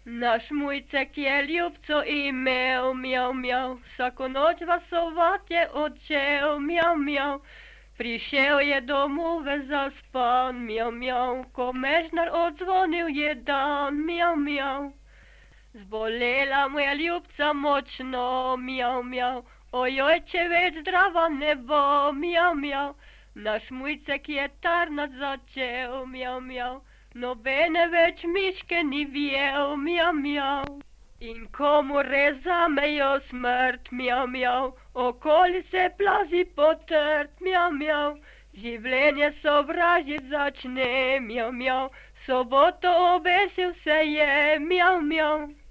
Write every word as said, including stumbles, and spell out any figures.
Naš Mujcek je ljubco imel, mjav, mjav, vsako noč vasovat je odšel, mjav, mjav. Prišel je domov zaspan, mjav, mjav, ko mežnar odzvonil je dan, mjav, mjav. Zbolela mu je ljubca močno, mjav, mjav, ojoj, če več zdrava ne bo, mjav, mjav. Naš Mujcek je tarnat začel, mjav, mjav, nobene več miške ni vjel, mjav, mjav. In komu res zamejo smrt, mjav, mjav, okoli se plazi potrt, mjav, mjav. Življenje sovražit začne, mjav, mjav, soboto obesil se je, mjav, mjav.